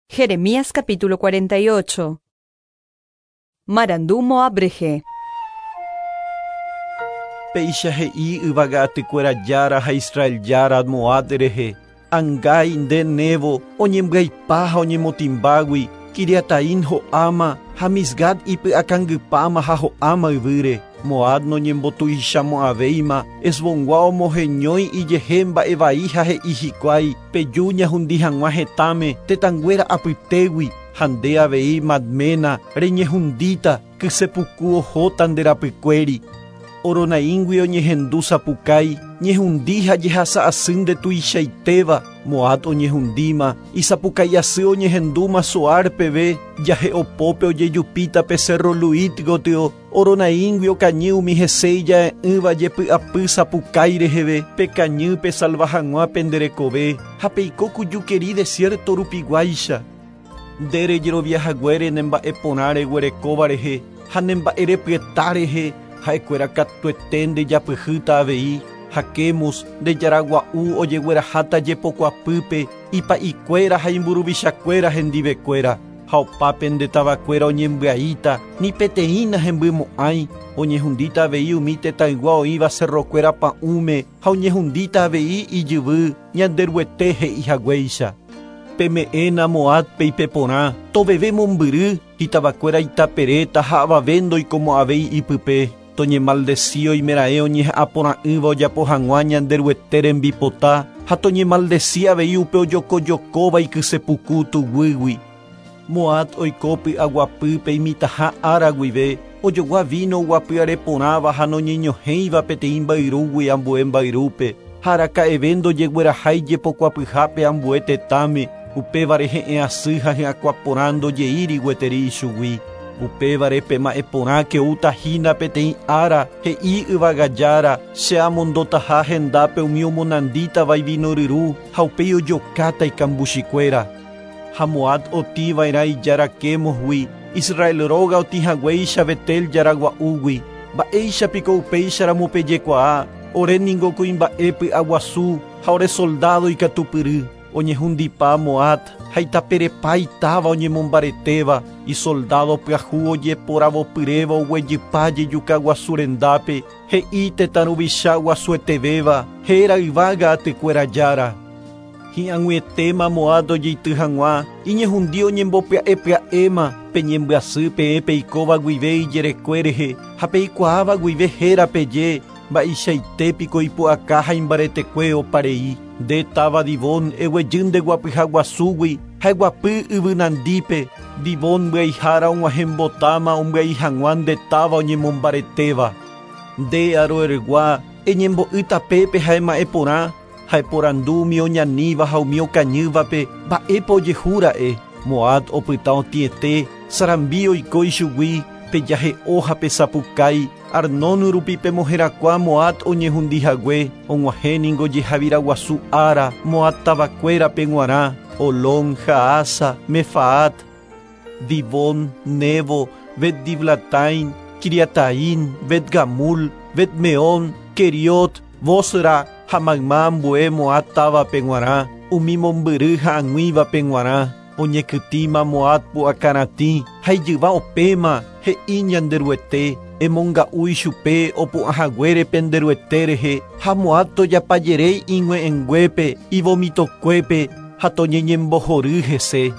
Jeremías capítulo 48. Marandu Moab rehe. Péicha he'i yvága atykuéra Jára ha Israel Jára Moab rehe, Angái nde Nebo oñembyaipa ha oñemotĩmbágui, Quiriataim ho'áma ha Misgad ipy'akangypáma ha ho'áma yvýre. Moab noñembotuichamo'ãvéima, Hesbongua omoheñói ijehe mba'e vai ha he'i hikuái, Peju ñahundi hag̃ua hetãme tetãnguéra apytégui, ha nde avei Madmena reñehundíta, kyse puku ohóta nde rapykuéri. Horonaímgui oñehendu sapukái, ñehundi ha jehasa asy nde tuichaitéva, Moab oñehundíma, isapukái asy oñehendúma Zoar peve, jahe'opópe ojejupíta pe sérro Luhit gotyo, Horonaímgui okañy umi hese ija'e'ỹva jepy'apy sapukái reheve, pekañy pesalva hag̃ua pende rekove, ha peiko ku jukeri desiérto rupiguáicha. Nde rejerovia haguére ne mba'e porã reguerekóva rehe ha ne mba'erepyeta rehe, ha'ekuéra katuete ndejapyhýta avei, ha Quemos, nde jára gua'u ojegueraháta jepokuapýpe, ipa'ikuéra ha imburuvichakuéra hendivekuéra. Ha opa pende tavakuéra oñembyaíta, ni peteĩ nahembymo'ãi, oñehundíta avei umi tetãygua oĩva cerrokuéra pa'ũme ha oñehundíta avei ijyvy, Ñanderuete he'i haguéicha. Peme'ẽna Moábpe ipeporã, toveve mombyry, itavakuéra itaperéta ha avave ndoikomo'ãvéi ipype. Toñemaldesi oimeraẽ oñeha'ã porã'ỹva ojapo hag̃ua Ñanderuete rembipota, ha toñemaldesi avei upe ojokojokóva ikysepuku tuguýgui. Moab oiko py'aguapýpe imitãha ára guive, ojogua víno oguapyare porãva ha noñeñohẽiva peteĩ mbayrúgui ambue mbayrúpe, ha araka'eve ndojeguerahái jepokuapyhápe ambue tetãme, upévare he'ẽ asy ha hyakuã porã ndojeíri gueteri ichugui. Upévare pema'ẽ porãke oúta hína peteĩ ára, he'i yvága Jára, che amondotaha hendápe umi omonandítava ivino ryru ha upéi ojokáta ikambuchikuéra. Ha Moab otĩ va'erã ijára Quémosgui, Israel róga otĩ haguéicha Betel jára gua'úgui. Mba'éicha piko upéicharamo pejekuaa, Ore ningo kuimba'e py'aguasu ha ore soldádo ikatupyry. Oñehundipa Moab ha itaperepa itáva oñemombaretéva, isoldádo pyahu ojeporavopyréva oguejypa jejuka guasu rendápe, he'i tetã ruvicha guasuetevéva, héra yvága atykuéra Jára. Hi'ag̃uietéma Moab ojeity hag̃ua, iñehundi oñembopya'e pya'éma, peñembyasy peẽ peikóva guive ijerekue rehe ha peikuaáva guive héra peje, Mba'eichaite piko ipu'aka ha imbaretekue opa rei. Nde táva Dibón, eguejy nde guapyha guasúgui ha eguapy yvy nandípe, Dibón mbyaihára og̃uahẽmbotáma ombyai hag̃ua nde táva oñemombaretéva. Nde, Aroergua, eñembo'y tapépe ha ema'ẽ porã, ha eporandu umi oñaníva ha umi okañývape mba'épa ojehu ra'e. Moab opyta otĩete, sarambi oiko ichugui, pejahe'o ha pesapukái, Arnón rupi pemoherakuã Moab oñehundi hague, og̃uahẽ ningo jehavira guasu ára Moab tavakuérape g̃uarã, Holón, Jaasa, Mefaat, Dibón, Nebo, Bet-Diblatain, Quiriataim, Bet-Gamul, Bet-Meón, Queriot, Bosra ha mayma ambue Moab távape g̃uarã, umi mombyry ha ag̃uívape g̃uarã. Oñekytĩma Moab pu'akaratĩ ha ijyva opẽma, he'i Ñanderuete, Emonga'u ichupe opu'ã haguére pende Ruete rehe, ha Moab tojapajeréi ig̃ue'ẽnguépe, ivomitokuépe, ha toñeñembohory hese.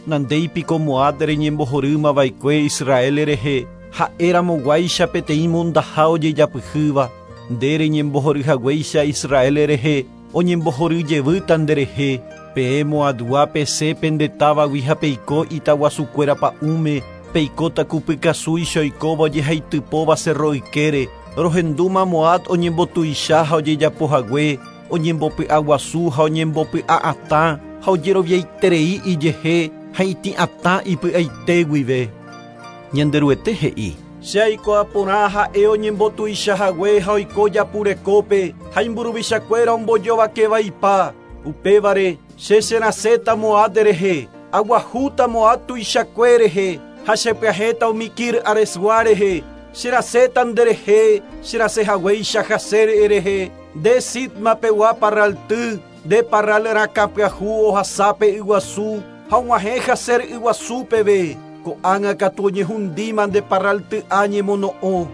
Nandéi piko Moab reñembohorýma va'ekue Israel rehe, ha'e ramoguáicha peteĩ mondaha ojejapyhýva. Nde reñembohory haguéicha Israel rehe, oñembohory jevýta nderehe. Peẽ Moabgua pesẽ pende távagui ha peiko itaguasukuéra pa'ũme, peikóta ku pykasúicha oikóva ojehaitypóva sérro ykére. Rohendúma Moab oñembotuicha ha ojejapo hague, oñembopy'aguasu ha oñembopy'a'atã ha ojeroviaiterei ijehe ha itĩ'atã ipy'aite guive. Ñanderuete he'i. Che aikuaa porã ha'e oñembotuicha hague ha oiko japu rekópe ha imburuvichakuéra ombojovake vaipa. Upévare, che cherasẽta Moab rehe, aguahúta Moab tuichakue rehe ha chepyahẽta umi Kir-Haresgua rehe, cherasẽta nderehe, cherasẽ haguéicha Jazer rehe, Nde Sibma pegua parralty, nde parral rakã pyahu ohasa pe yguasu, ha og̃uahẽ Jazer yguasu peve. Ko'ág̃a katu oñehundíma nde parralty'a ñemono'õ.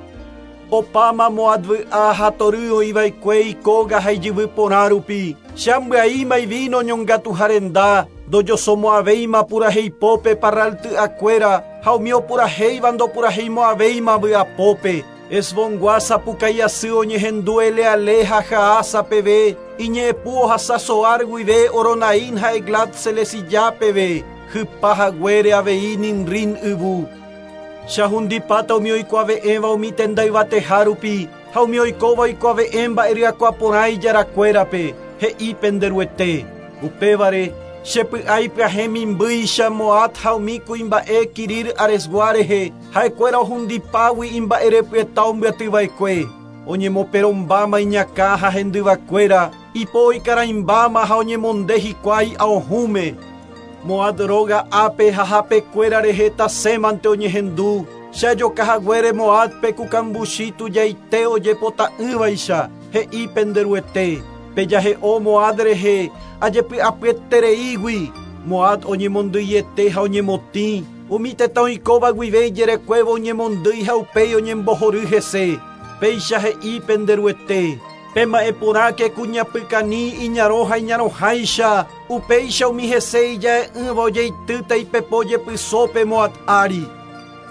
Opáma Moab vy'a ha tory oĩva'ekue ikóga ha ijyvy porã rupi. Che ambyaíma ivíno ñongatuha renda, ndojosomo'ãvéima puraheipópe parralty'akuéra ha umi opurahéiva ndopuraheimo'ãvéima vy'apópe. Hesbongua sapukái asy oñehendu Elealé ha Jaasa peve, iñe'ẽpu ohasa Zoar guive Horonaim ha Eglat-Selesiyá peve, hypa haguére avei Nimrim yvu. Che ahundipáta umi oikuave'ẽva umi tenda yvateha rupi ha umi oikóva oikuave'ẽ mba'e ryakuã porã ijarakuérape, he'i pende Ruete. Upévare, che py'a ipyahẽ mimbýicha Moab ha umi kuimba'e Quirir-Haresgua rehe, ha'ekuéra ohundipágui imba'erepyeta ombyatyva'ekue. Oñemoperõmbáma iñakã ha hendyvakuéra, ipo oikarãimbáma ha oñemonde hikuái aohũme. Moab róga ápe ha hapekuéra rehe tasẽmante oñehendu, che ajoka haguére Moábpe ku kambuchi tujaite ojepota'ỹvaicha, he'i pende Ruete. Pejahe'o Moab rehe ajepy'apyetereígui. Moab oñemondýiete ha oñemotĩ, umi tetã oikóva guive ijerekuévo oñemondýi ha upéi oñembohory hese. Péicha he'i pende Ruete. Pema'ẽ porãke ku ñapykani iñarõ ha iñarõháicha, upéicha umi hese ija'e'ỹva ojeitýta ipepo jepysópe Moab ári.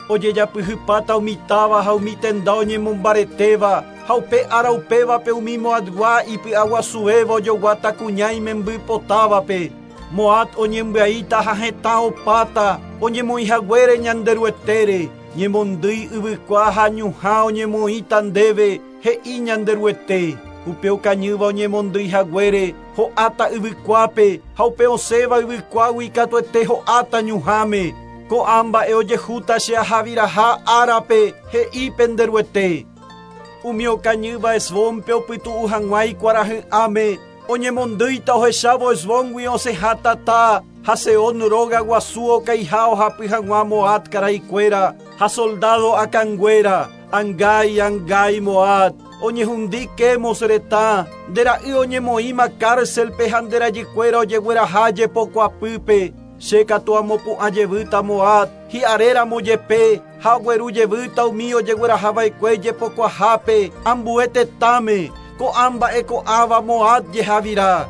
Ojejapyhypáta umi táva ha umi tenda oñemombaretéva, ha upe ára upévape umi Moabgua ipy'aguasuvéva ojoguáta kuña imembypotávape. Moab oñembyaíta ha hetã opáta, oñemoĩhaguére Ñanderuetére. Ñemondýi yvykua ha ñuhã oñemoĩta ndéve, he'i Ñanderuete. Upe okañýva oñemondýi haguére, ho'áta yvykuápe, ha upe osẽva yvykuágui katuete ho'áta ñuhãme. Ko'ã mba'e ojehúta che ahaviraha árape, he'i pende Ruete. Umi okañýva Hesbónpe opytu'u hag̃ua ikuarahy'ãme, oñemondýita ohechávo Hesbóngui osẽha tata, ha Sehón róga guasu okaiha ohapy hag̃ua Moab karaikuéra ha soldádo akãnguéra. Angái, angái Moab, oñehundi Quemos retã, nde ra'y oñemoĩma cárcelpe ha nde rajykuéra ojegueraha jepokuapýpe. Che katu amopu'ã jevýta Moab, hi'aréramo jepe, ha ogueru jevýta umi ojeguerahava'ekue jepokuahápe ambue tetãme, ko'ã mba'e ko'ãva Moab jehavira.